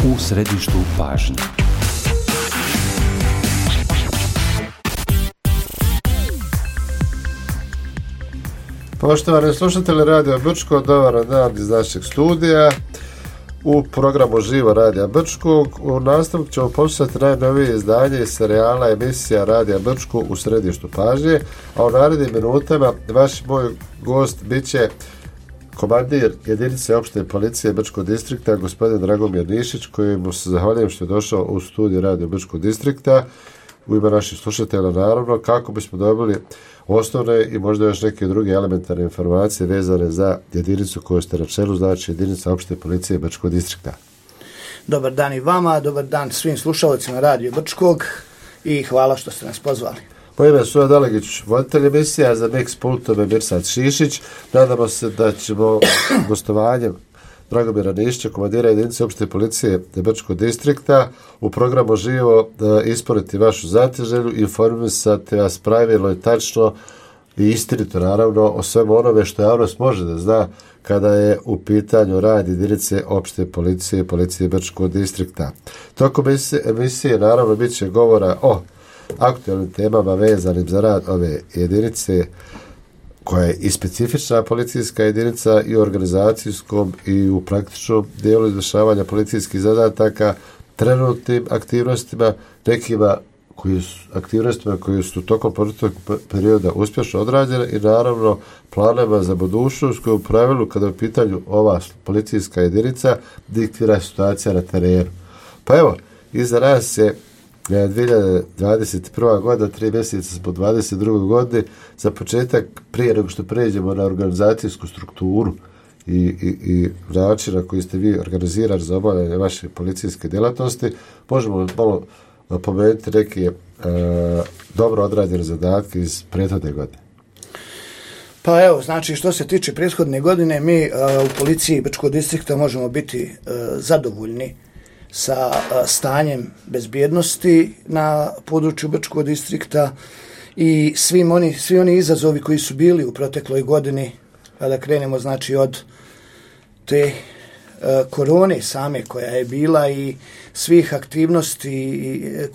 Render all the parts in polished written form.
U središtu pažnje. Poštovani slušatelji Radio Brčko, dobar dan iz našeg studija. U programu Živo Radija Brčkog u nastavku ćemo poslušati najnovije izdanje iz serijala emisija Radija Brčko u središtu pažnje, a u narednim minutama vaš moj gost bit će komandir jedinice opšte policije Brčkog distrikta, gospodin Dragomir Nišić, kojemu se zahvaljujem što je došao u studiju Radio Brčkog distrikta u ime naših slušatelja, naravno, kako bismo dobili osnovne i možda još neke druge elementarne informacije vezane za jedinicu koju ste na čelu, znači jedinica opšte policije Brčkog distrikta. Dobar dan i vama, dobar dan svim slušalcima Radio Brčkog i hvala što ste nas pozvali. Po ime Suja Dalegić, voditelj emisija, za Mix pultom je Mirsad Šišić. Nadamo se da ćemo gostovanjem Dragomira Nišića, komandira jedinice opšte policije Brčkog distrikta, u programu Živo isporiti vašu zateželju i informisati vas pravilno i tačno i istinito, naravno, o svemu onome što javnost može da zna kada je u pitanju rad jedinice opšte policije i policije Brčkog distrikta. Tokom emisije, naravno, bit će govora o aktualnim temama vezanim za rad ove jedinice, koja je i specifična policijska jedinica i u organizacijskom i u praktičnom dijelu izvršavanja policijskih zadataka, trenutnim aktivnostima, nekima aktivnostima koje su tokom proteklog perioda uspješno odrađene i naravno planova za budućnost koje u pravilu kada je u pitanju ova policijska jedinica diktira situacija na terenu. Pa evo, iza nas je 2021. godina, 3 mjeseca smo 22. godine. Za početak, prije nego što pređemo na organizacijsku strukturu i način na koji ste vi organizirani za obavljanje vaše policijske djelatnosti, možemo malo pomenuti neke dobro odrađene zadatke iz prethodne godine. Pa evo, znači što se tiče prethodne godine, mi u policiji Brčkog distrikta možemo biti zadovoljni sa stanjem bezbjednosti na području Brčkog distrikta i svi oni izazovi koji su bili u protekloj godini, kada krenemo znači od te korone same koja je bila i svih aktivnosti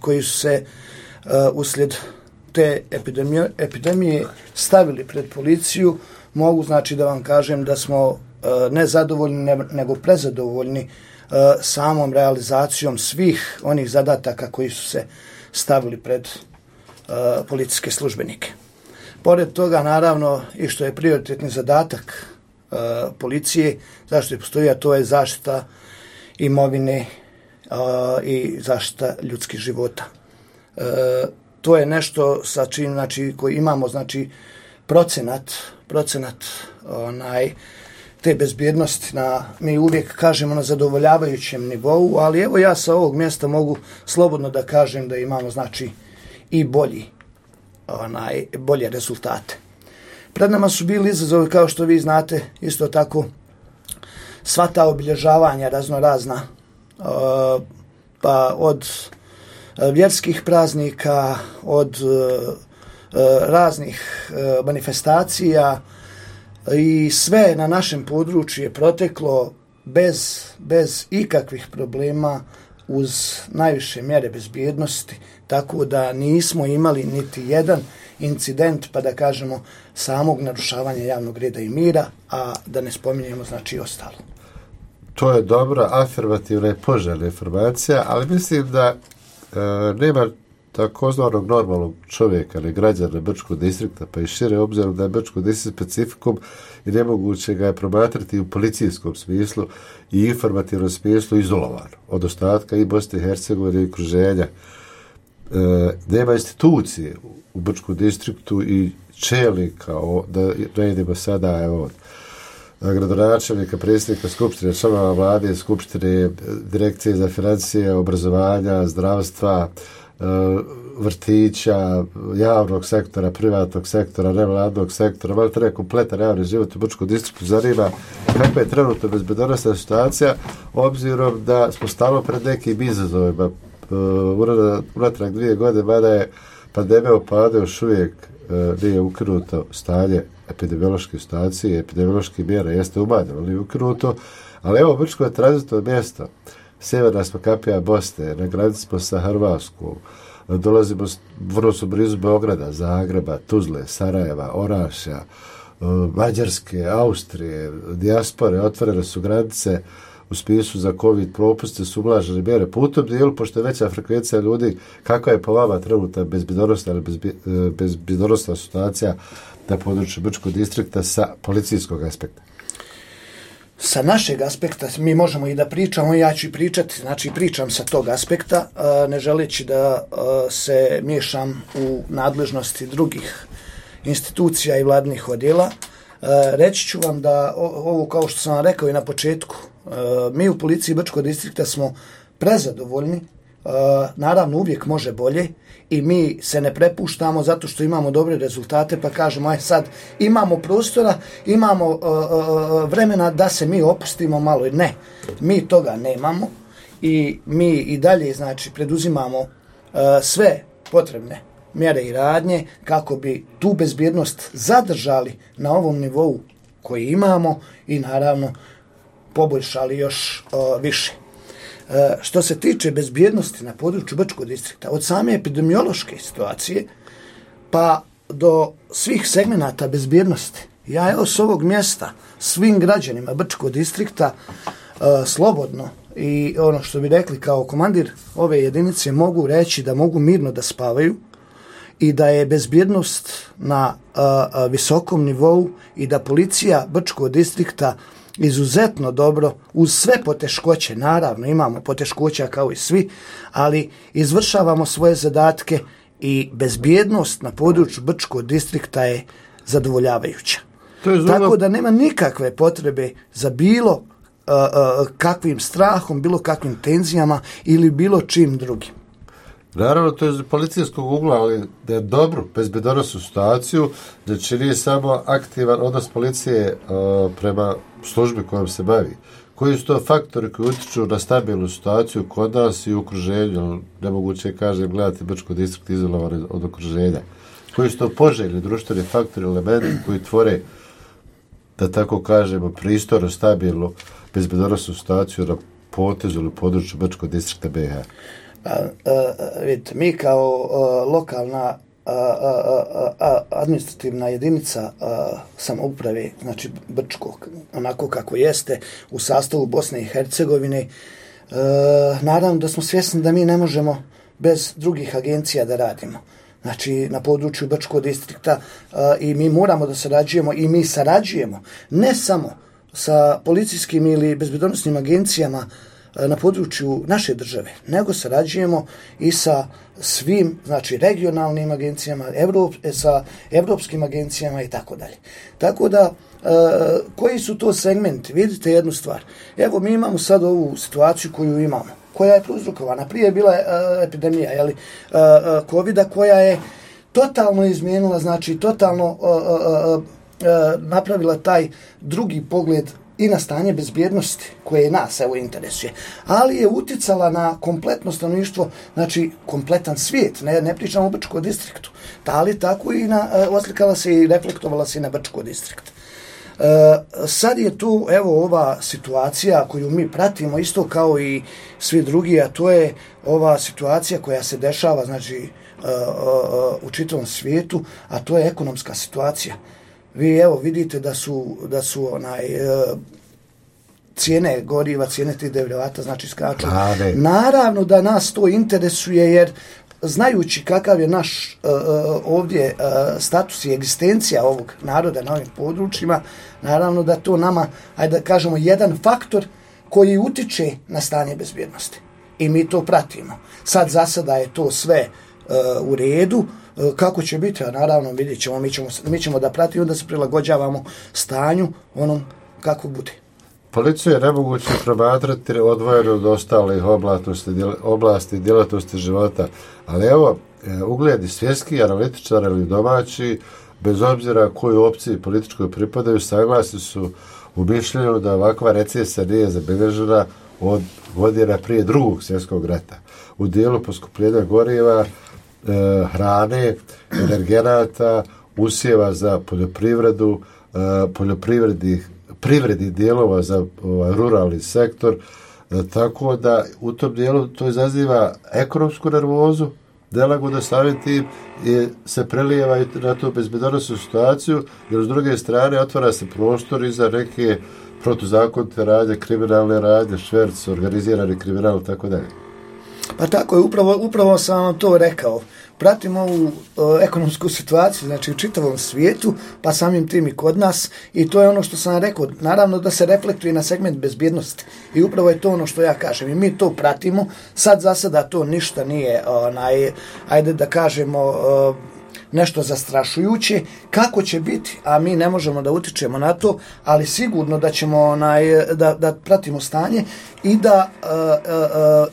koje su se uslijed te epidemije stavili pred policiju, mogu znači da vam kažem da smo ne zadovoljni nego prezadovoljni samom realizacijom svih onih zadataka koji su se stavili pred policijske službenike. Pored toga, naravno, i što je prioritetni zadatak policije, zašto je postoji, a to je zaštita imovine i zaštita ljudskih života. To je nešto sa čim, znači, koji imamo, znači, procenat te bezbjednosti mi uvijek kažemo na zadovoljavajućem nivou, ali evo ja sa ovog mjesta mogu slobodno da kažem da imamo znači i bolje rezultate. Pred nama su bili izazovi, kao što vi znate, isto tako sva ta obilježavanja raznorazna, pa od vjerskih praznika, od raznih manifestacija, i sve na našem području je proteklo bez ikakvih problema, uz najviše mjere bezbjednosti, tako da nismo imali niti jedan incident, pa da kažemo, samog narušavanja javnog reda i mira, a da ne spominjemo znači ostalo. To je dobra, afirmativna i poželjna informacija, ali mislim da nema takozvanog normalnog čovjeka ili građana Brčkog distrikta, pa i šire, obzirom da je Brčkog distrikt specifikum i nemoguće ga je promatrati u policijskom smislu i informativnom smislu izolovan od ostatka i Bosne i Hercegovine i okruženja. Nema institucije u Brčkom distriktu i čelnika, da ne idemo sada, evo, gradonačelnika, predsjednika Skupštine, članova vlade, Skupštine, Direkcije za financije, obrazovanja, zdravstva, vrtića, javnog sektora, privatnog sektora, nevladnog sektora, malo treba kompletan javni život u Brčkom distriktu. Zanima kakva je trenutno bezbednosna situacija, obzirom da smo stalno pred nekim izazovima. Unatrag 2 godine, mada je pandemija u padu, još uvijek nije ukinuto stanje epidemiološke situacije, epidemiološke mjere jeste umanjeno, ali ukinuto, ali evo Brčko je tranzitno mjesto. Sjeverna smo kapija Bosne, na granici smo sa Hrvatskom, dolazimo, vrlo su blizu Beograda, Zagreba, Tuzle, Sarajeva, Orašja, Mađarske, Austrije, dijaspore, otvorene su granice, u smislu za COVID propuste su ublažene mjere. Po tom dijelu, pošto je veća frekvencija ljudi, kakva je po vama trenutna bezbjednosna ili bezbjednosna situacija na području Brčkog distrikta sa policijskog aspekta? Sa našeg aspekta mi možemo i da pričamo, ja ću i pričati, znači pričam sa tog aspekta, ne želeći da se miješam u nadležnosti drugih institucija i vladnih odjela. Reći ću vam da ovo, kao što sam vam rekao i na početku, mi u policiji Brčkog distrikta smo prezadovoljni, naravno uvijek može bolje i mi se ne prepuštamo zato što imamo dobre rezultate pa kažemo aj sad imamo prostora, imamo vremena da se mi opustimo malo. Ne, mi toga nemamo i mi i dalje znači preduzimamo sve potrebne mjere i radnje kako bi tu bezbjednost zadržali na ovom nivou koji imamo i naravno poboljšali još više. Što se tiče bezbjednosti na području Brčkog distrikta, od same epidemiološke situacije pa do svih segmenata bezbjednosti, ja evo s ovog mjesta svim građanima Brčkog distrikta slobodno i ono što bi rekli kao komandir ove jedinice mogu reći da mogu mirno da spavaju i da je bezbjednost na visokom nivou i da policija Brčkog distrikta izuzetno dobro, uz sve poteškoće, naravno imamo poteškoća kao i svi, ali izvršavamo svoje zadatke i bezbjednost na području Brčkog distrikta je zadovoljavajuća. Tako da nema nikakve potrebe za bilo kakvim strahom, bilo kakvim tenzijama ili bilo čim drugim. Naravno, to je iz policijskog ugla, ali da je dobro, bezbjednosnu situaciju, da će nije samo aktivan odnos policije prema službi kojom se bavi. Koji su to faktori koji utiču na stabilnu situaciju kod nas i u okruženju? Nemoguće je, kažem, gledati Brčko distrikt izolovan od okruženja. Koji su to poželjni društveni faktori, elementi koji tvore, da tako kažemo, pristojno, stabilnu, bezbjednosnu situaciju na potezu ili području Brčkog distrikta BiH? Vidite, mi kao lokalna administrativna jedinica samouprave, znači Brčko, onako kako jeste, u sastavu Bosne i Hercegovine, naravno da smo svjesni da mi ne možemo bez drugih agencija da radimo. Znači, na području Brčkog distrikta i mi moramo da sarađujemo i mi sarađujemo ne samo sa policijskim ili bezbjednosnim agencijama na području naše države, nego sarađujemo i sa svim, znači, regionalnim agencijama, sa evropskim agencijama i tako dalje. Tako da, koji su to segmenti? Vidite jednu stvar. Evo, mi imamo sad ovu situaciju koju imamo, koja je prouzrokovana. Prije je bila epidemija, COVID-a, koja je totalno izmijenila, znači, totalno napravila taj drugi pogled i na stanje bezbjednosti koje nas evo interesuje, ali je uticala na kompletno stanovništvo, znači kompletan svijet, ne pričamo o Brčkom distriktu, ali tako i oslikala se i reflektovala se i na Brčko distrikt. Sad je tu evo ova situacija koju mi pratimo isto kao i svi drugi, a to je ova situacija koja se dešava, znači u čitavom svijetu, a to je ekonomska situacija. Vi evo vidite da su cijene goriva, cijene tih derivata, znači skaču. Naravno da nas to interesuje jer znajući kakav je naš ovdje status i egzistencija ovog naroda na ovim područjima, naravno da to nama, ajde da kažemo, jedan faktor koji utiče na stanje bezbjednosti. I mi to pratimo. Sad za sada je to sve u redu. Kako će biti, a naravno vidjet ćemo, mi ćemo da pratimo, da se prilagođavamo stanju onom kako bude. Policiju je nemoguće promatrati odvojeno od ostalih oblasti i djelatnosti života, ali evo, ugledi svjetski analitičari ili domaći, bez obzira koju opciji političkoj pripadaju, saglasni su u mišljenju da ovakva recesija nije zabilježena od godina prije Drugog svjetskog rata. U dijelu poskupljenja goriva, hrane, energenata, usjeva za poljoprivredu, privrednih dijelova za ruralni sektor, tako da u tom dijelu to izaziva ekonomsku nervozu, nelagodu samim tim i se prelijeva i na tu bezbednosnu situaciju, jer s druge strane otvara se prostor i za neke protuzakonite radnje, kriminalne radnje, šverc, organizirani kriminal i tako dalje. Pa tako je, upravo sam vam to rekao. Pratimo ovu ekonomsku situaciju, znači u čitavom svijetu, pa samim tim i kod nas, i to je ono što sam rekao, naravno da se reflektuje na segment bezbjednosti. I upravo je to ono što ja kažem. I mi to pratimo, sad za sada to ništa nije, ajde da kažemo, nešto zastrašujuće. Kako će biti, a mi ne možemo da utičemo na to, ali sigurno da ćemo da pratimo stanje i da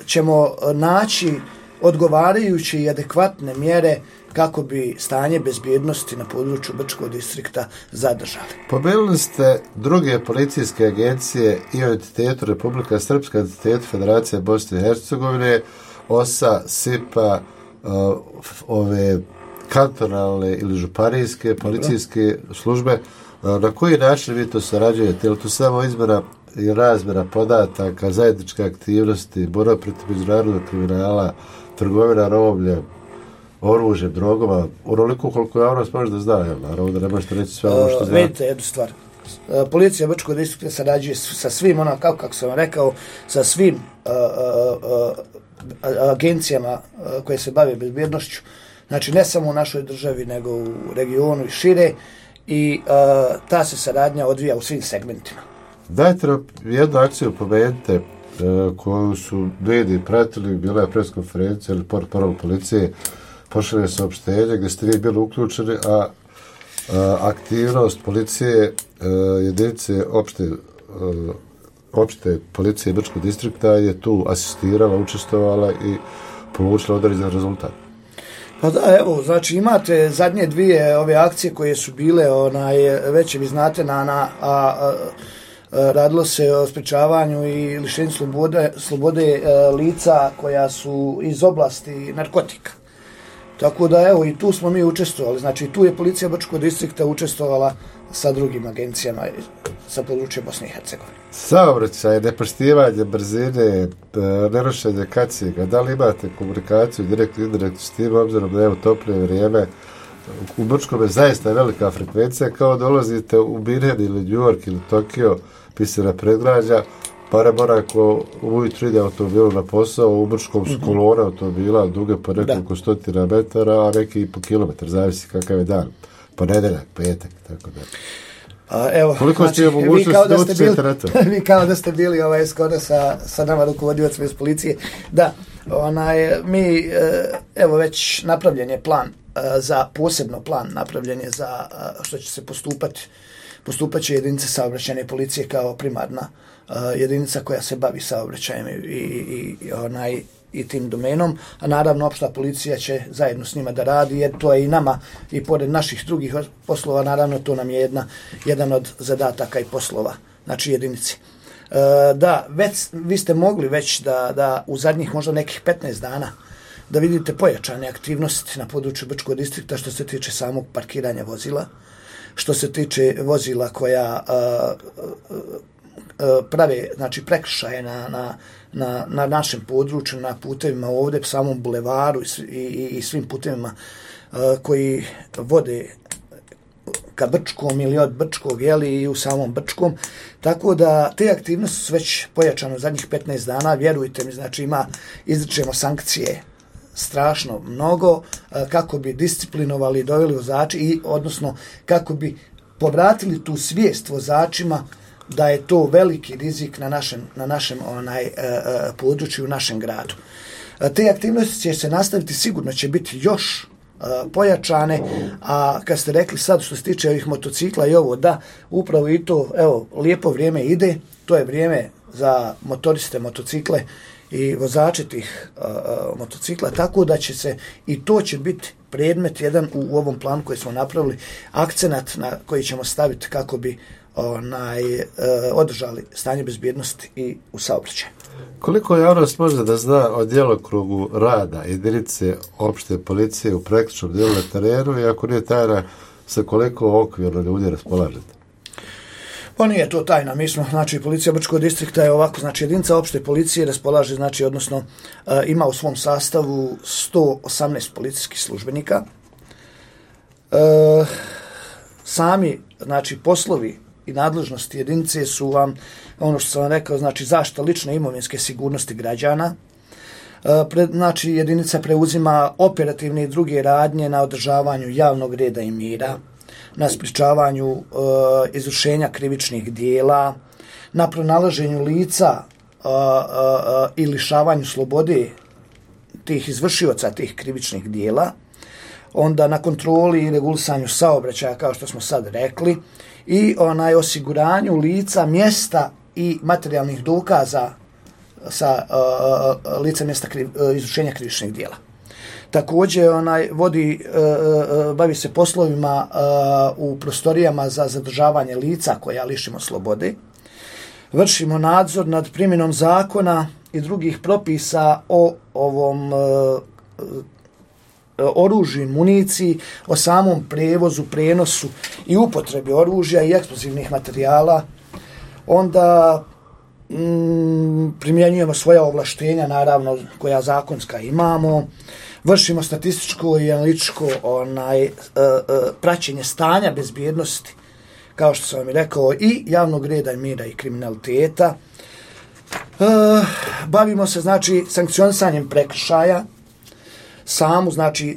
ćemo naći odgovarajuće i adekvatne mjere kako bi stanje bezbjednosti na području Brčkog distrikta zadržali. Pomenuli ste druge policijske agencije i o entitetu Republika Srpska, entitetu Federacije Bosne i Hercegovine, OSA, SIPA, ove kantonalne ili županijske policijske službe. Na koji način vi to sarađujete? Je li to samo izmjena i razmjena podataka, zajedničke aktivnosti, borba protiv međunarodnog kriminala, trgovina robljem, oružjem, drogama, onoliko koliko javnost može da zna, naravno da ne možete reći sve ono što zna. Vidite jednu stvar. Policija Brčkog distrikta sarađuje sa svim, kako sam rekao, sa svim agencijama koje se bave bezbjednošću. Znači ne samo u našoj državi, nego u regionu i šire, i ta se saradnja odvija u svim segmentima. Dajte nam jednu akciju, pomenite, koju su mediji pratili, bila je preskonferencija ili portparol policije, pošalje saopštenje gdje ste vi bili uključeni, a aktivnost policije, jedinice opšte policije Brčkog distrikta je tu asistirala, učestvovala i polučila određen rezultat. Pa da, evo, znači imate zadnje dvije ove akcije koje su bile, već vi znate, radilo se o sprečavanju i lišenju slobode lica koja su iz oblasti narkotika. Tako da, evo, i tu smo mi učestvovali. Znači, tu je policija Brčkog distrikta učestvovala sa drugim agencijama sa područja Bosne i Hercegovine. Saobraćaj, nepoštivanje brzine, nerušenje kaciga, da li imate komunikaciju direktno i indirektno s tim, obzirom da je toplije vrijeme? U Brčkom je zaista velika frekvencija, kao dolazite u Birhen ili New York ili Tokio, pisana predgrađa, pa mora ako ujutru ide automobilu na posao, u Brčkom su kolone automobila duge po nekoliko stotina metara, a neki i po kilometar, zavisi kakav je dan. Ponedeljak, petak, tako da. Evo, koliko ste mogućnosti da utječete na to? Vi kao da ste bili skoro sa nama rukovodioцima iz policije. Da, mi, evo već napravljen je plan posebno plan napravljen je za što će se postupat će jedinice saobraćajne policije kao primarna jedinica koja se bavi saobraćajem i tim domenom, a naravno opšta policija će zajedno s njima da radi, jer to je i nama, i pored naših drugih poslova, naravno to nam je jedan od zadataka i poslova, znači jedinici. Da, vi ste mogli već da u zadnjih možda nekih 15 dana da vidite pojačane aktivnosti na području Brčkog distrikta što se tiče samog parkiranja vozila, što se tiče vozila koja prave, znači, prekršaje na našem području, na putevima ovdje, samom bulevaru i svim putevima koji vode ka Brčkom ili od Brčkog, i u samom Brčkom. Tako da te aktivnosti su već pojačane u zadnjih 15 dana, vjerujte mi, znači izričemo sankcije strašno mnogo kako bi disciplinovali i doveli vozači i odnosno kako bi povratili tu svijest vozačima da je to veliki rizik na našem području, u našem gradu. Te aktivnosti će se nastaviti, sigurno će biti još pojačane, a kad ste rekli sad što se tiče ovih motocikla i ovo, da, upravo i to, evo, lijepo vrijeme ide, to je vrijeme za motoriste motocikle i vozače tih motocikla, tako da će se, i to će biti predmet jedan u ovom planu koji smo napravili, akcenat na koji ćemo staviti kako bi održali stanje bezbjednosti i u saobraćaju. Koliko javnost može da zna o djelokrugu rada jedinice opšte policije u praktičnom dijelu na terenu, i ako nije tajna, sa koliko okvirno ljudi raspolažete? Pa nije to tajna, mi smo, znači, policija Brčkog distrikta je ovako, znači, jedinica opšte policije raspolaže, znači, odnosno, ima u svom sastavu 118 policijskih službenika. Sami, znači, poslovi i nadležnosti jedinice su vam, ono što sam vam rekao, znači, zaštita lične imovinske sigurnosti građana. Znači, jedinica preuzima operativne i druge radnje na održavanju javnog reda i mira, na sprječavanju izvršenja krivičnih dijela, na pronalaženju lica i lišavanju slobode tih izvršioca tih krivičnih dijela, onda na kontroli i regulisanju saobraćaja, kao što smo sad rekli, i osiguranju lica, mjesta i materijalnih dokaza sa lica mjesta izvršenja krivičnih dijela. Također bavi se poslovima u prostorijama za zadržavanje lica koja lišimo slobode. Vršimo nadzor nad primjenom zakona i drugih propisa o ovom oružju i municiji, o samom prevozu, prenosu i upotrebi oružja i eksplozivnih materijala. Onda primjenjujemo svoja ovlaštenja, naravno, koja zakonska imamo. Vršimo statističko i analitičko praćenje stanja bezbjednosti, kao što sam vam i rekao, i javnog reda i mira i kriminaliteta. Bavimo se, znači, sankcionisanjem prekršaja,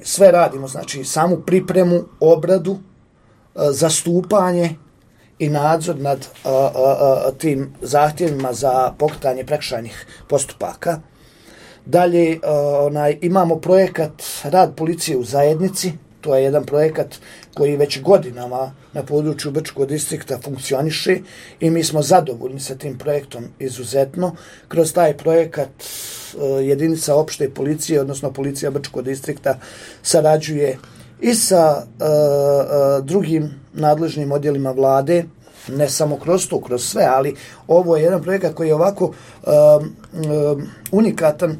sve radimo, znači, samu pripremu, obradu, zastupanje i nadzor nad tim zahtjevima za pokretanje prekršajnih postupaka. Dalje, imamo projekat Rad policije u zajednici. To je jedan projekat koji već godinama na području Brčkog distrikta funkcioniše i mi smo zadovoljni sa tim projektom izuzetno. Kroz taj projekat jedinica opšte policije, odnosno policija Brčkog distrikta, sarađuje i sa drugim nadležnim odjelima vlade, ne samo kroz to, kroz sve, ali ovo je jedan projekat koji je ovako unikatan.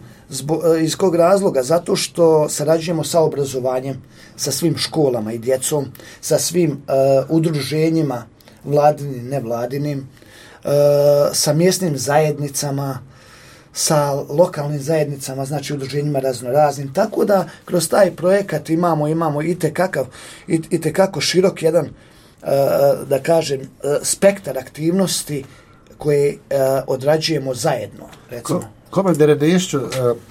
Iz kog razloga? Zato što sarađujemo sa obrazovanjem, sa svim školama i djecom, sa svim udruženjima, vladinim, nevladinim, sa mjesnim zajednicama, sa lokalnim zajednicama, znači udruženjima raznoraznim. Tako da kroz taj projekat imamo itekako širok jedan, da kažem, spektar aktivnosti koje odrađujemo zajedno, recimo. Komandire Nišću,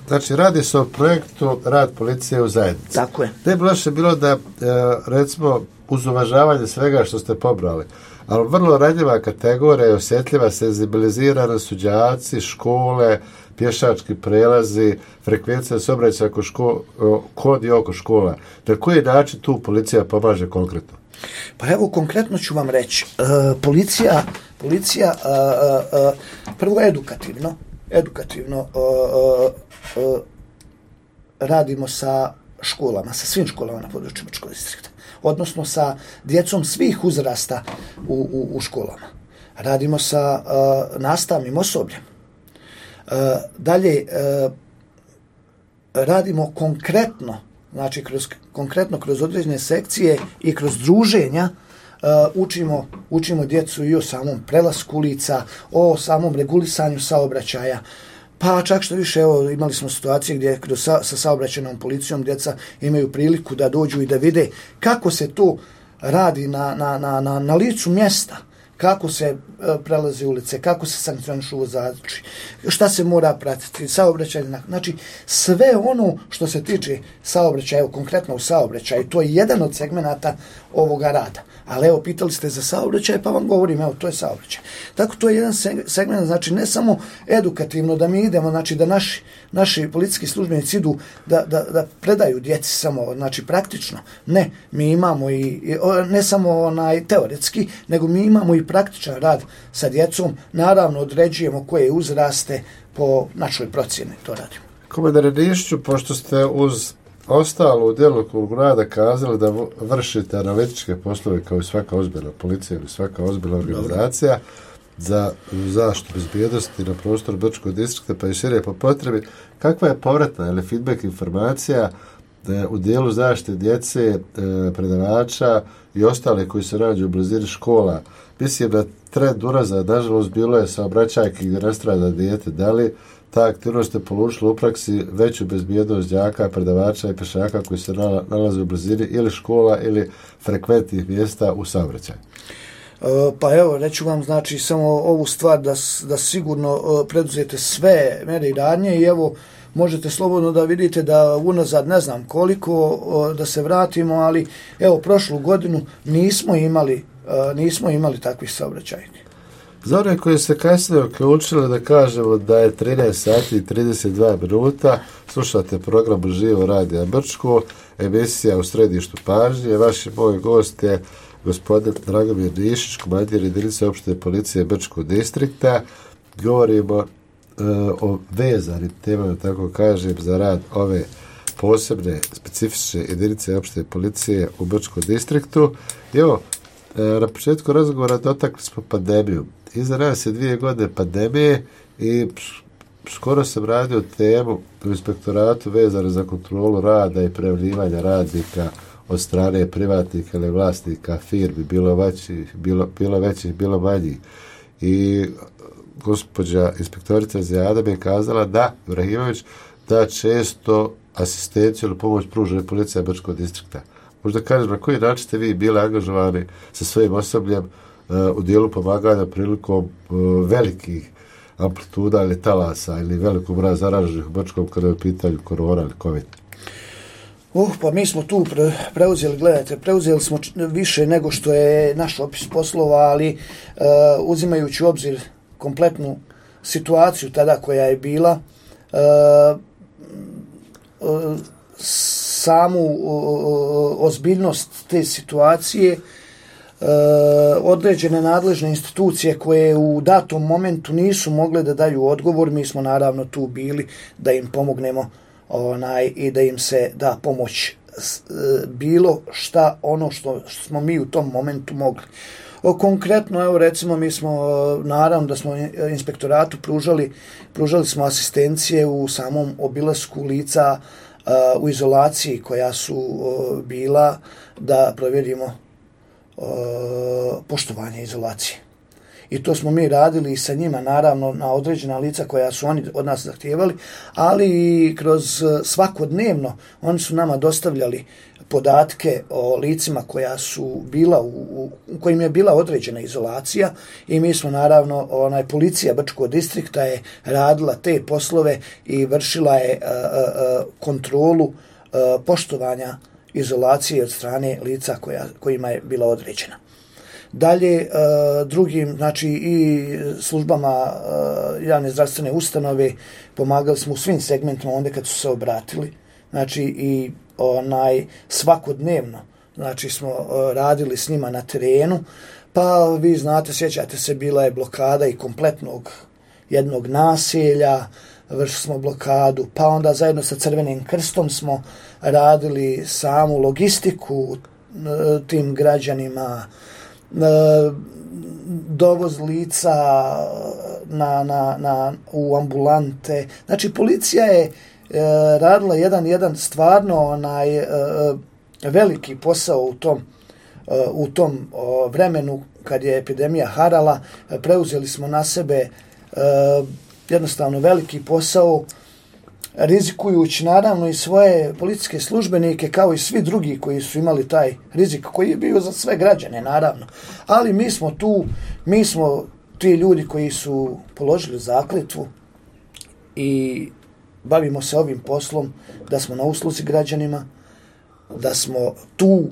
znači radi se o projektu Rad policije u zajednici. Tako je. Ne bi loše bilo da, recimo, uz uvažavanje svega što ste pobrali, ali vrlo ranjiva kategorija i osjetljiva, senzibilizirana su đaci, škole, pješački prelazi, frekvencija saobraćaja kod i oko škola. Na koji način tu policija pomaže konkretno? Pa evo, konkretno ću vam reći. Policija prvo edukativno radimo sa školama, sa svim školama na području Brčkog distrikta, odnosno sa djecom svih uzrasta u školama. Radimo sa nastavnim osobljem. Dalje, radimo konkretno, znači kroz određene sekcije i kroz druženja, učimo djecu i o samom prelasku ulica, o samom regulisanju saobraćaja. Pa čak što više, evo, imali smo situacije gdje sa saobraćajnom policijom djeca imaju priliku da dođu i da vide kako se to radi na licu mjesta, kako se prelaze ulice, kako se sankcionišu vozači, šta se mora pratiti, saobraćaj, znači sve ono što se tiče saobraćaja, evo konkretno u saobraćaju, to je jedan od segmenata ovoga rada. Ali evo, pitali ste za saobraćaj, pa vam govorim, evo, to je saobraćaj. Tako, to je jedan segment, znači ne samo edukativno da mi idemo, znači da naši policijski službenici idu da predaju djeci samo, znači praktično. Ne, mi imamo i ne samo teoretski, nego mi imamo i praktičan rad sa djecom. Naravno, određujemo koje uzraste po našoj procjeni, to radimo. Komandire Nišću, pošto ste uz ostalo u djelokrugu rada kazali da vršite analitičke poslove kao i svaka ozbiljna policija ili svaka ozbiljna organizacija za zaštitu bezbjednosti na prostoru Brčkog distrikta, pa i šire po potrebi, kakva je povratna ili feedback informacija u dijelu zaštite djece, predavača i ostale koji se nađu u blizini škola. Mislim da trend unazad, nažalost, bilo je saobraćajki gdje nastrada dijete. Da li ta aktivnost je polučila u praksi veću bezbjednost đaka, predavača i pešaka koji se nalaze u blizini ili škola ili frekventnih mjesta u saobraćaju? Pa evo, reću vam, znači, samo ovu stvar da sigurno preduzete sve mere i radnje i evo, možete slobodno da vidite da unazad ne znam koliko da se vratimo, ali evo, prošlu godinu nismo imali takvih saobraćajki. Za one koji se kasnije uključili, da kažemo da je 13 sati i 32 minuta, slušate program Živo Radija Brčko, emisija u središtu pažnje. Vaš moj gost je gospodin Dragomir Nišić, komandir jedinice opšte policije Brčkog distrikta. Govorimo o vezanim temama, tako kažem, za rad ove posebne, specifične jedinice opšte policije u Brčkom distriktu. Evo, na početku razgovora dotakli smo pandemiju. Iza nas je 2 godine pandemije i skoro sam radio temu u inspektoratu vezano za kontrolu rada i prijavljivanja radnika od strane privatnika ili vlasnika firmi, bilo većih, bilo manjih. I gospođa inspektorica Zijada mi je kazala da, Ibrahimović, da često asistenciju ili pomoć pruža policija Brčkog distrikta. Možda kažem, na koji način ste vi bili angažovani sa svojim osobljem u dijelu pomaganja prilikom velikih amplituda ili talasa ili velikog broja zaraženih u Brčkom kada je u pitanju korona ili COVID? Pa mi smo tu preuzeli smo više nego što je naš opis poslova, ali uzimajući u obzir kompletnu situaciju tada koja je bila, samu ozbiljnost te situacije, određene nadležne institucije koje u datom momentu nisu mogle da daju odgovor, mi smo naravno tu bili da im pomognemo i da im se da pomoć bilo šta ono što smo mi u tom momentu mogli. Konkretno, evo recimo, mi smo, naravno da smo inspektoratu pružali smo asistencije u samom obilasku lica u izolaciji koja su bila, da provjerimo poštovanje izolacije. I to smo mi radili sa njima, naravno, na određena lica koja su oni od nas zahtijevali, ali i kroz svakodnevno oni su nama dostavljali podatke o licima koja su bila u kojim je bila određena izolacija i mi smo, naravno, policija Brčkog distrikta je radila te poslove i vršila je kontrolu poštovanja izolacije od strane lica kojima je bila određena. Dalje, drugim, znači i službama javne zdravstvene ustanove pomagali smo u svim segmentima onda kad su se obratili, znači i svakodnevno, znači smo radili s njima na terenu, pa vi znate, sjećate se, bila je blokada i kompletnog jednog naselja, vršili smo blokadu, pa onda zajedno sa Crvenim krstom smo radili samu logistiku tim građanima, dovoz lica u ambulante. Znači, policija je radila jedan stvarno veliki posao u tom vremenu kad je epidemija harala. Preuzeli smo na sebe jednostavno veliki posao, rizikujući naravno i svoje policijske službenike kao i svi drugi koji su imali taj rizik koji je bio za sve građane, naravno. Ali mi smo ti ljudi koji su položili zakletvu i bavimo se ovim poslom, da smo na usluzi građanima, da smo tu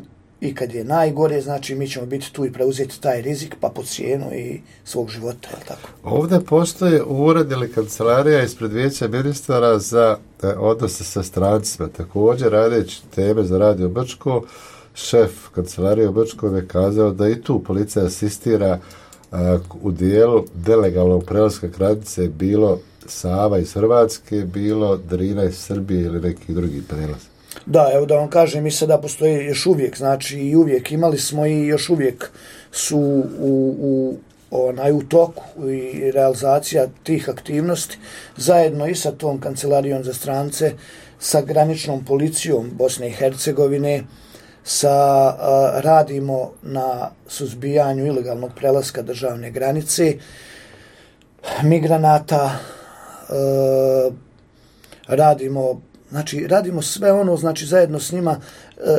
i kad je najgore, znači mi ćemo biti tu i preuzeti taj rizik, pa po cijenu i svog života, je li tako? Ovdje postoje ured ili kancelarija ispred Vijeća ministara za odnose sa strancima. Također, radeći teme za Radio Brčko, šef kancelarije u Brčkom je kazao da i tu policija asistira u dijelu nelegalnog prelaska granice, bilo Sava iz Hrvatske, bilo Drina iz Srbije ili neki drugi prelaz. Da, evo da vam kažem, mi sada postoji još uvijek, znači i uvijek imali smo i još uvijek su u toku i realizacija tih aktivnosti zajedno i sa tom kancelarijom za strance, sa graničnom policijom Bosne i Hercegovine, radimo na suzbijanju ilegalnog prelaska državne granice, migranata, radimo sve ono, znači zajedno s njima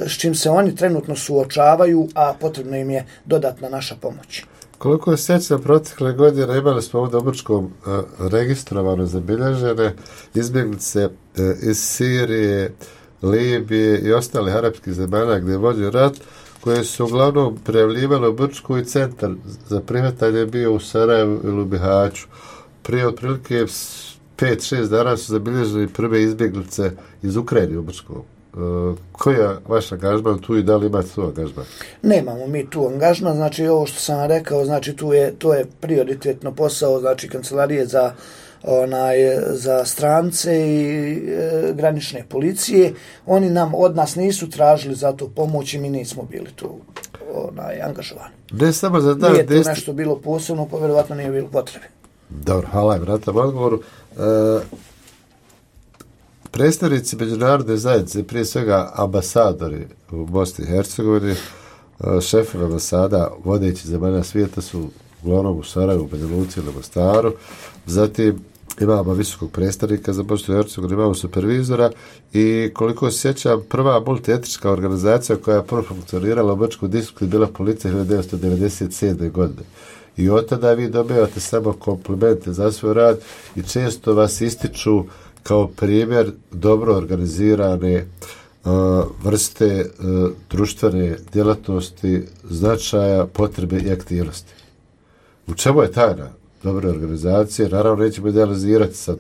s čim se oni trenutno suočavaju, a potrebno im je dodatna naša pomoć. Koliko je sjećam protekle godine imali smo ovdje u Brčkom registrovano zabilježene izbjeglice iz Sirije, Libije i ostalih arapskih zemalja gdje je vođen rat, koje su uglavnom prijavljivali u Brčku i centar za prihvatanje bio u Sarajevu ili u Bihaću. Prije otprilike 5-6 dana su zabilježili prve izbjeglice iz Ukrajine u Brčkom. Koji je vaš angažman tu i da li imate tu angažman? Nemamo mi tu angažman, znači ovo što sam rekao, znači to je prioritetno posao, znači kancelarije za strance i granične policije. Oni od nas nisu tražili za to pomoć i mi nismo bili tu angažovani. Ne samo za dan. Nije to nešto bilo posebno, pa vjerovatno nije bilo potrebe. Dobro, hvala im na tom odgovoru. Predstavnici međunarodne zajednice, prije svega ambasadori u Bosni i Hercegovini, šefovi ambasada vodeći zemalja svijeta su uglavnom u Sarajevu, u Banja Luci ili Mostaru. Zatim imamo visokog predstavnika za Bosnu i Hercegovinu, imamo supervizora i koliko se sjećam, prva multietnička organizacija koja je prvo funkcionirala u Brčkom distriktu je bila policija 1997. godine. I od tada vi dobivate samo komplimente za svoj rad i često vas ističu kao primjer dobro organizirane vrste društvene djelatnosti, značaja, potrebe i aktivnosti. U čemu je tajna dobre organizacije? Naravno, nećemo idealizirati sad.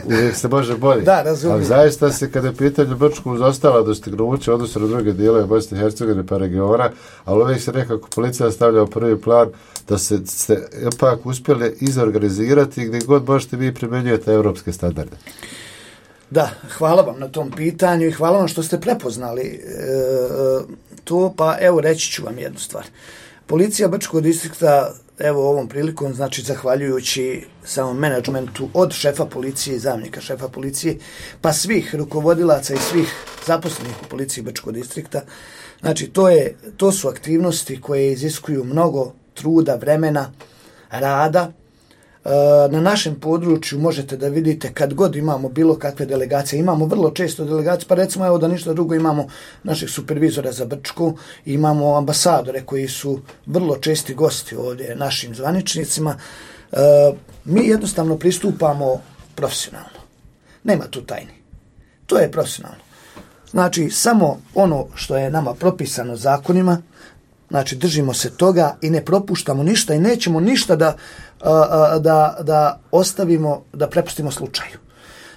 Uvijek se može bolje. Da, razumijem. Ali zaista se, kada je pitanje Brčku uz ostala dostignuća, odnosno na druge dijelove Bosne i Hercegovine pa regiona, ali uvijek se nekako policija stavlja u prvi plan da se ipak uspjeli izorganizirati gdje god možete vi primjenjujete evropske standarde. Da, hvala vam na tom pitanju i hvala vam što ste prepoznali to, pa evo reći ću vam jednu stvar. Policija Brčkog distrikta, evo ovom prilikom, znači zahvaljujući samom menadžmentu od šefa policije i zamjenika šefa policije, pa svih rukovodilaca i svih zaposlenih u policiji Brčkog distrikta, znači to su aktivnosti koje iziskuju mnogo truda, vremena, rada. Na našem području možete da vidite kad god imamo bilo kakve delegacije, imamo vrlo često delegacije, pa recimo evo da ništa drugo imamo našeg supervizora za Brčku, imamo ambasadore koji su vrlo česti gosti ovdje našim zvaničnicima. Mi jednostavno pristupamo profesionalno. Nema tu tajni. To je profesionalno. Znači samo ono što je nama propisano zakonima, znači držimo se toga i ne propuštamo ništa i nećemo ništa da ostavimo, da prepustimo slučaju.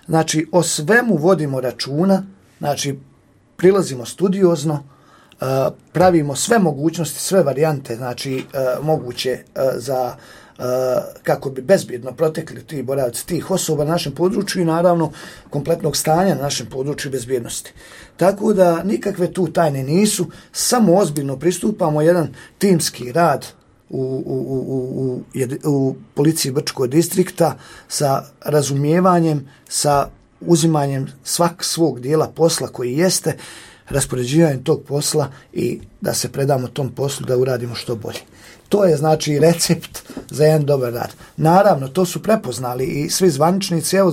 Znači o svemu vodimo računa, znači prilazimo studiozno, pravimo sve mogućnosti, sve varijante, znači moguće za kako bi bezbjedno protekli ti boravci tih osoba na našem području i naravno kompletnog stanja na našem području bezbjednosti. Tako da nikakve tu tajne nisu, samo ozbiljno pristupamo jedan timski rad u policiji Brčkog distrikta sa razumijevanjem, sa uzimanjem svog dijela posla koji jeste, raspoređivanjem tog posla i da se predamo tom poslu da uradimo što bolje. To je znači recept za jedan dobar rad. Naravno, to su prepoznali i svi zvaničnici, evo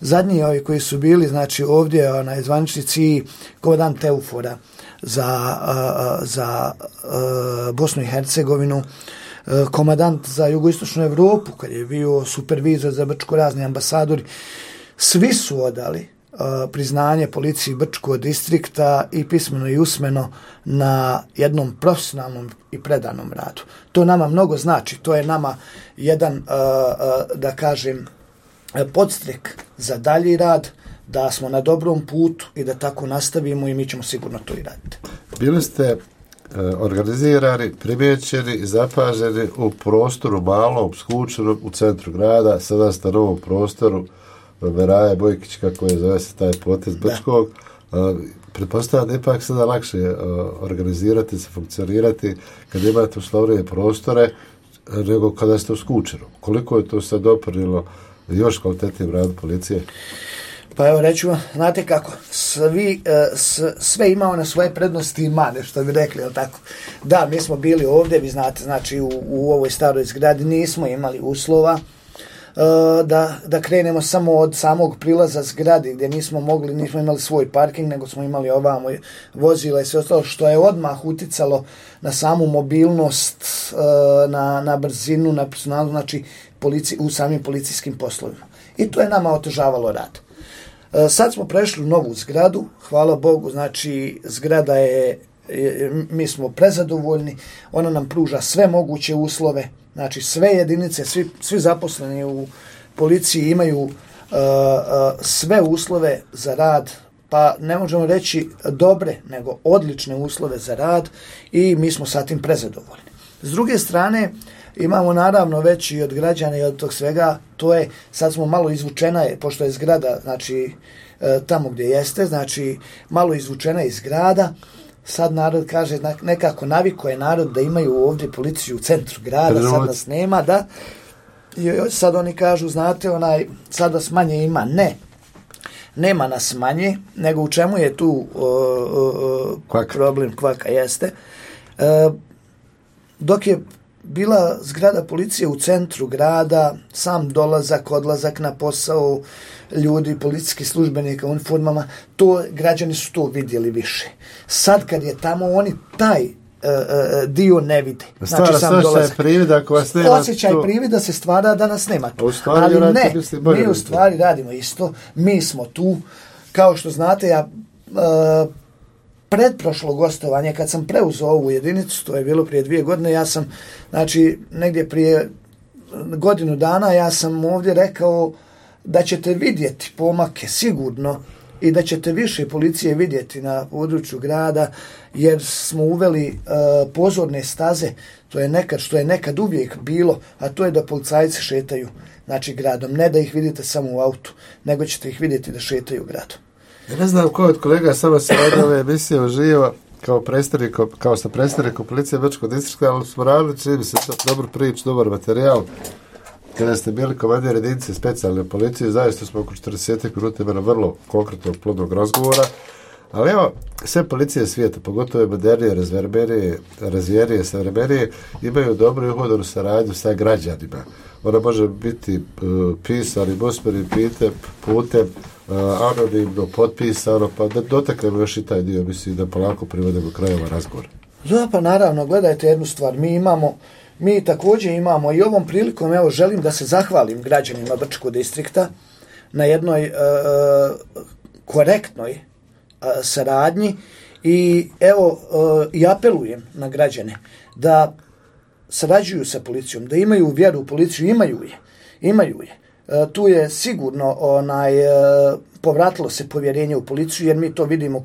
zadnji ovi koji su bili, znači ovdje zvaničnici i komandant Eufora za Bosnu i Hercegovinu, komandant za jugoistočnu Evropu, kad je bio supervizor za Brčko, razni ambasadori, svi su odali priznanje policiji Brčkog distrikta i pismeno i usmeno na jednom profesionalnom i predanom radu. To nama mnogo znači, to je nama jedan, da kažem, podstrek za dalji rad, da smo na dobrom putu i da tako nastavimo i mi ćemo sigurno to i raditi. Bili ste organizirani, primjećeni i zapaženi u prostoru malom, skučenom u centru grada, sada ste na novom prostoru Meraje Bojkić, kako je zove se taj potez Brčkog. pretpostavljam da ipak sada lakše organizirati se, funkcionirati kad imate uslovnije prostore nego kada ste u Skučeru. Koliko je to sad doprinijelo još kvalitetnijim radu policije? Pa evo reću vam, znate kako, sve imao na svoje prednosti i mane, što bi rekli, jel tako? Da, mi smo bili ovdje, vi znate, znači u ovoj staroj zgradi nismo imali uslova da krenemo samo od samog prilaza zgradi, gdje nismo imali svoj parking, nego smo imali ovamo vozila i sve ostalo, što je odmah uticalo na samu mobilnost, na brzinu, na personalu, znači u samim policijskim poslovima. I to je nama otežavalo rad. Sad smo prešli u novu zgradu, hvala Bogu, znači zgrada mi smo prezadovoljni, ona nam pruža sve moguće uslove, znači sve jedinice, svi zaposleni u policiji imaju sve uslove za rad, pa ne možemo reći dobre, nego odlične uslove za rad i mi smo sa tim prezadovoljni. S druge strane, imamo naravno već i od građana i od tog svega, to je, sad smo malo izvučena, pošto je zgrada, znači tamo gdje jeste, znači malo izvučena iz grada, sad narod kaže, nekako naviko je narod da imaju ovdje policiju u centru grada, sad nas nema, da, i sad oni kažu, znate, sad vas manje ima, nema nas manje, nego u čemu je tu problem, kvaka jeste. Dok je bila zgrada policije u centru grada, sam dolazak, odlazak na posao ljudi, policijskih službenika u uniformama, građani su to vidjeli više. Sad kad je tamo, oni taj dio ne vide. Znači sam dolazak. Osjećaj privida se stvara da nas nema tu. Ali ne, mi u stvari radimo isto. Mi smo tu. Kao što znate, ja predprošlo gostovanje, kad sam preuzeo ovu jedinicu, to je bilo prije 2 godine, ja sam, znači, negdje prije godinu dana, ja sam ovdje rekao da ćete vidjeti pomake sigurno i da ćete više policije vidjeti na području grada, jer smo uveli pozorne staze, to je nekad, što je nekad uvijek bilo, a to je da policajci šetaju, znači, gradom. Ne da ih vidite samo u autu, nego ćete ih vidjeti da šetaju gradom. Ja ne znam ko od kolega samo se od ove emisije uživa kao sa predstavnikom policije Bečkog distrikta, ali smo radili, čini mi se dobru priču, dobar materijal. Kada ste bili komandir jedinice specijalne policije, zaista smo oko 40 minuta imali vrlo konkretnog plodnog razgovora, ali evo, sve policije svijeta, pogotovo modernije, razvijenije, savremenije, imaju dobru i uhodanu saradnju sa građanima. Ona može biti pisanim, usmenim putem, anonimno, potpisano, pa da dotaknemo još i taj dio, mislim da polako privodimo krajeva razgovora. Da, pa naravno, gledajte jednu stvar, mi također imamo i ovom prilikom, evo, želim da se zahvalim građanima Brčkog distrikta na jednoj korektnoj saradnji i evo, i apelujem na građane da sarađuju sa policijom, da imaju vjeru u policiju, imaju je. Tu je sigurno povratilo se povjerenje u policiju, jer mi to vidimo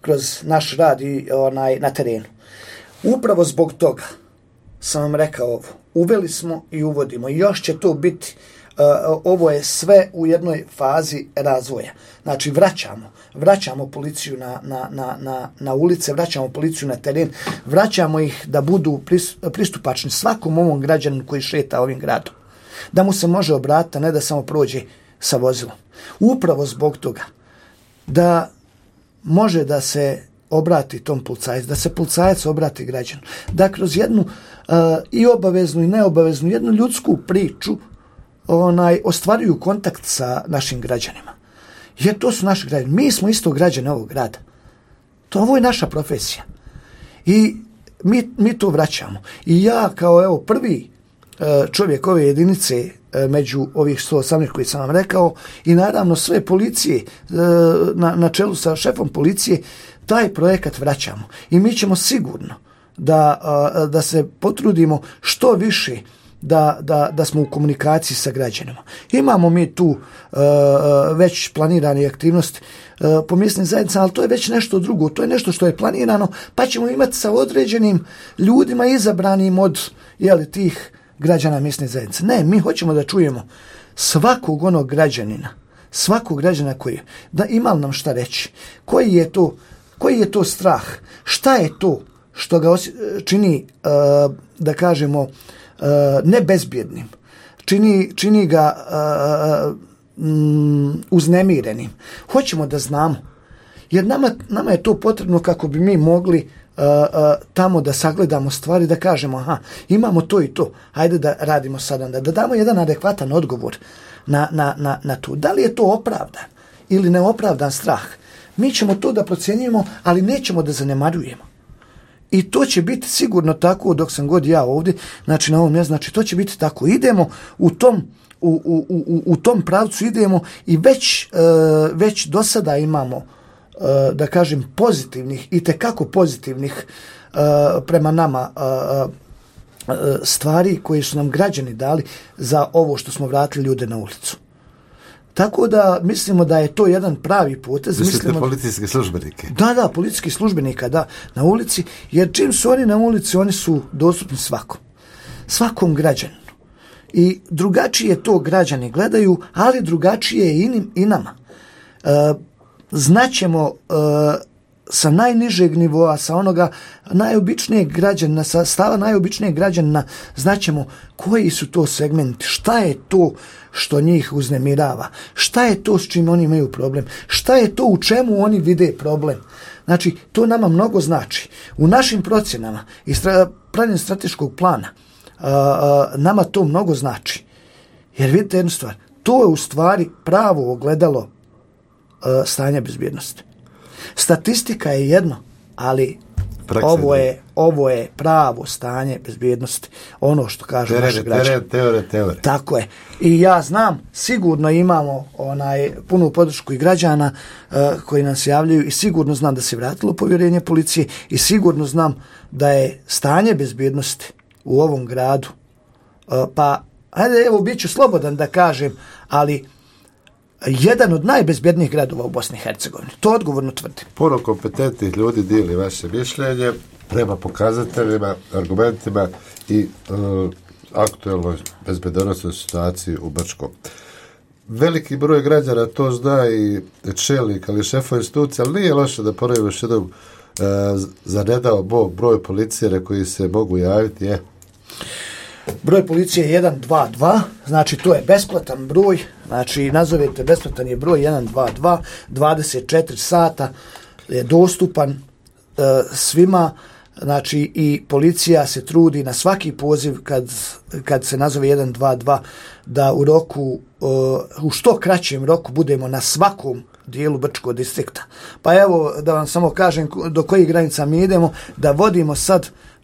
kroz naš rad i na terenu. Upravo zbog toga sam vam rekao ovo, uveli smo i uvodimo i još će to biti, ovo je sve u jednoj fazi razvoja. Znači vraćamo policiju na ulice, vraćamo policiju na teren, vraćamo ih da budu pristupačni svakom ovom građaninu koji šeta ovim gradom. Da mu se može obratiti, a ne da samo prođe sa vozilom. Upravo zbog toga da može da se obrati tom policajcu, da se policajac obrati građanu, da kroz jednu i obaveznu i neobaveznu, jednu ljudsku priču ostvaruju kontakt sa našim građanima. Jer to su naši građani. Mi smo isto građani ovog grada. Ovo je naša profesija. I mi to vraćamo. I ja kao prvi čovjek ove jedinice među ovih 118 koji sam vam rekao i naravno sve policije na čelu sa šefom policije, taj projekat vraćamo. I mi ćemo sigurno da se potrudimo što više da smo u komunikaciji sa građanima. Imamo mi tu već planirane aktivnosti po mjesnim zajednicama, ali to je već nešto drugo, to je nešto što je planirano, pa ćemo imati sa određenim ljudima izabranim od tih građana mjesne zajednice. Ne, mi hoćemo da čujemo svakog onog građanina svakog građana da ima li nam šta reći, koji je to strah, šta je to što ga čini, da kažemo, nebezbjednim, čini ga uznemirenim. Hoćemo da znamo, jer nama je to potrebno kako bi mi mogli tamo da sagledamo stvari, da kažemo imamo to i to, hajde da radimo sad onda, da damo jedan adekvatan odgovor na to. Da li je to opravdan ili neopravdan strah? Mi ćemo to da procjenjujemo, ali nećemo da zanemarujemo. I to će biti sigurno tako dok sam god ja ovdje, znači na ovom mjestu, znači to će biti tako. Idemo u tom pravcu idemo i već do sada imamo, da kažem, pozitivnih, itekako pozitivnih prema nama stvari koje su nam građani dali za ovo što smo vratili ljude na ulicu. Tako da mislimo da je to jedan pravi potez. Mislite policijske službenike? Da, policijski službenika, da, na ulici, jer čim su oni na ulici, oni su dostupni svakom građaninu. I drugačije to građani gledaju, ali drugačije je i nama. Znaćemo sa najnižeg nivoa, sa onoga najobičnijeg građanina, sa stava najobičnijeg građanina, znaćemo koji su to segmenti, šta je to što njih uznemirava, šta je to s čim oni imaju problem, šta je to u čemu oni vide problem. Znači, to nama mnogo znači. U našim procjenama i pravljenju strateškog plana nama to mnogo znači. Jer vidite jednu stvar, to je u stvari pravo ogledalo stanja bezbjednosti. Statistika je jedno, ali ovo je pravo stanje bezbjednosti. Ono što kažu naši građani. Teore. Tako je. I ja znam, sigurno imamo punu podršku i građana koji nam se javljaju i sigurno znam da se vratilo povjerenje policije i sigurno znam da je stanje bezbjednosti u ovom gradu, pa ajde, evo, bit ću slobodan da kažem, ali jedan od najbezbjednijih gradova u Bosni i Hercegovini. To odgovorno tvrdim. Puno kompetentnih ljudi dijeli vaše mišljenje prema pokazateljima, argumentima i aktuelnoj bezbednosnoj situaciji u Brčkom. Veliki broj građana to zna i čelnik, ali šefova institucija, ali nije loše da ponovimo još jednom za ne dao Bog broj policije na koji se mogu javiti je. Broj policije je 122, znači to je besplatan broj, znači nazovete besplatan je broj 122, 24 sata je dostupan svima, znači i policija se trudi na svaki poziv kad se nazove 122 da u roku, u što kraćem roku budemo na svakom dijelu Brčkog distrikta. Pa evo da vam samo kažem do kojih granica mi idemo, da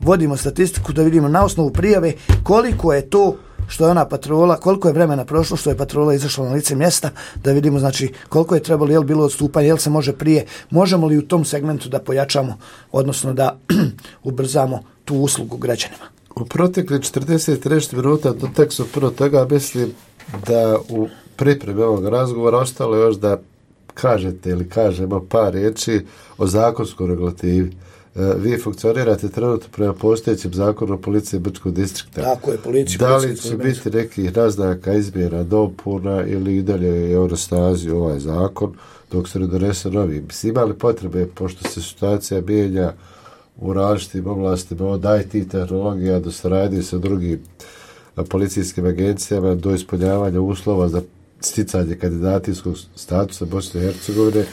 vodimo statistiku, da vidimo na osnovu prijave koliko je to što je ona patrola, koliko je vremena prošlo što je patrola izašla na lice mjesta, da vidimo znači koliko je trebalo, je li bilo odstupanje, je li se može prije, možemo li u tom segmentu da pojačamo, odnosno da ubrzamo tu uslugu građanima. U protekli 40 minuta do tekstu prvo toga mislim da u pripremi ovog razgovora ostalo još da kažete ili kažemo par riječi o zakonskoj regulativi. Vi funkcionirate trenutno prema postojećem zakonu o policiji Brčkog distrikta. Tako je, policija. Da li će biti nekih naznaka izmjena, dopuna ili i dalje je na snazi ovaj zakon dok se ne donese novi? Ima li potrebe, pošto se situacija mijenja u različitim oblastima od IT tehnologija do saradnje sa drugim policijskim agencijama do ispunjavanja uslova za sticanje kandidacijskog statusa Bosne i Hercegovine,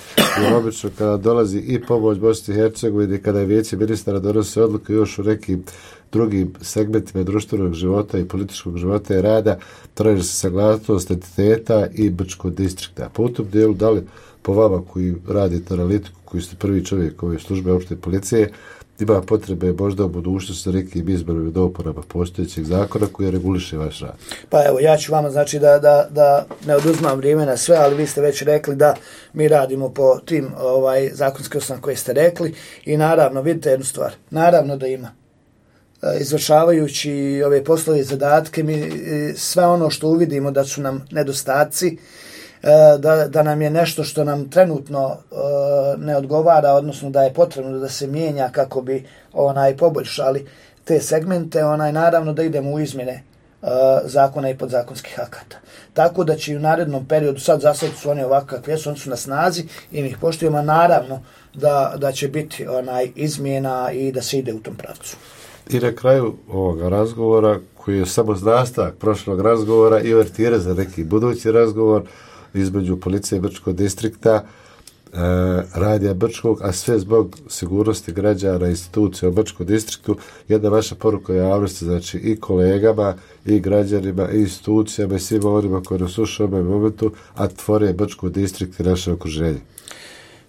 jer obično kada dolazi i pomoć Bosne i Hercegovine, kada je vijeće ministara donose odluke još u nekim drugim segmentima društvenog života i političkog života i rada, traži se saglasnost entiteta i Brčkog distrikta. Po tom dijelu, da li po vama koji radite analitiku, koji ste prvi čovjek ove službe opšte policije, ima potrebe možda u budućnosti sa nekim izmjenama i dopunama postojećeg zakona koji reguliše vaš rad? Pa evo, ja ću vama znači da ne oduzmam vrijeme na sve, ali vi ste već rekli da mi radimo po tim zakonskim osnovama koje ste rekli i naravno, vidite jednu stvar, naravno da ima. Izvršavajući ove poslove i zadatke, mi sve ono što uvidimo da su nam nedostaci, da nam je nešto što nam trenutno ne odgovara, odnosno da je potrebno da se mijenja kako bi poboljšali te segmente, naravno da idemo u izmjene zakona i podzakonskih akata. Tako da će i u narednom periodu, sad za sad su oni ovako kakvi jesu, oni su na snazi i mi ih poštujemo, a naravno da će biti izmjena i da se ide u tom pravcu. I na kraju ovoga razgovora, koji je samo nastavak prošlog razgovora i uvertira za neki budući razgovor između policije Brčkog distrikta, radija Brčkog, a sve zbog sigurnosti građana i institucija u Brčkom distriktu, jedna vaša poruka javnosti, znači i kolegama, i građanima, i institucijama, i svima onima koji nas slušaju u ovom momentu, a tvore Brčkog distrikt i naše okruženje.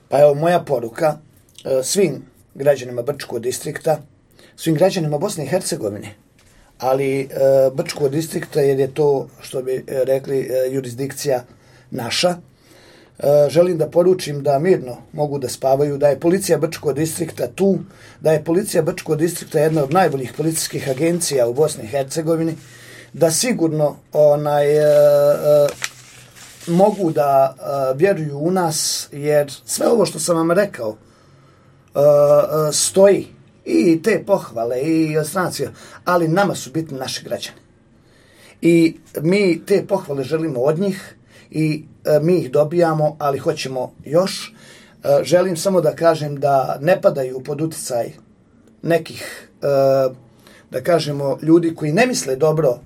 Pa evo moja poruka svim građanima Brčkog distrikta, svim građanima Bosne i Hercegovine, ali Brčkog distrikta, jer je to, što bi rekli, jurisdikcija naša. Želim da poručim da mirno mogu da spavaju, da je policija Brčkog distrikta tu, da je policija Brčkog distrikta jedna od najboljih policijskih agencija u Bosni i Hercegovini, da sigurno mogu da vjeruju u nas, jer sve ovo što sam vam rekao stoji, i te pohvale i ostracija, ali nama su bitni naši građani. I mi te pohvale želimo od njih i mi ih dobijamo, ali hoćemo još. Želim samo da kažem da ne padaju pod uticaj nekih, da kažemo, ljudi koji ne misle dobro.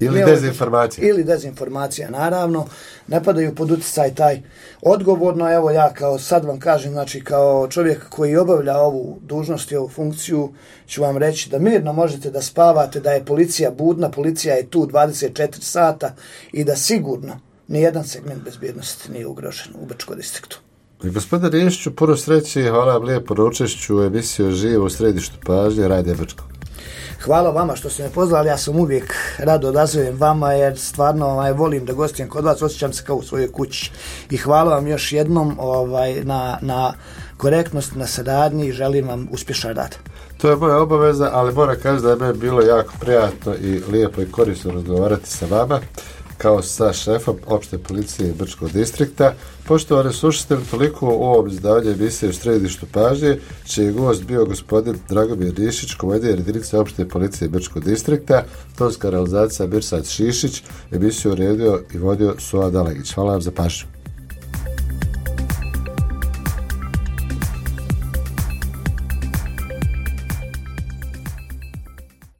Ili dezinformacija, naravno. Ne padaju pod uticaj taj odgovorno. Evo ja kao sad vam kažem, znači kao čovjek koji obavlja ovu dužnost i ovu funkciju, ću vam reći da mirno možete da spavate, da je policija budna, policija je tu 24 sata i da sigurno nijedan segment bezbjednosti nije ugrožen u Brčkom distriktu. Gospodine Riješiću, puno sreće i hvala vam lijepo na učešću u emisiju Živo u središtu pažnje Radija Brčko. Hvala vama što ste me pozvali, ja sam uvijek rado odazovem vama, jer stvarno volim da gostujem kod vas, osjećam se kao u svojoj kući. I hvala vam još jednom na korektnost, na saradnji i želim vam uspješan rad. To je moja obaveza, ali moram kaži da je meni bilo jako prijatno i lijepo i korisno razgovarati sa vama, kao sa šefom opšte policije Brčkog distrikta. Poštovani slušatelji, toliko u ovom izdavanju emisije u središtu pažnje, čiji je gost bio gospodin Dragomir Riješić, komandir jedinice opšte policije Brčkog distrikta, tonska realizacija Mirsad Šišić, emisiju uredio i vodio Suad Dalagić. Hvala vam za pažnju.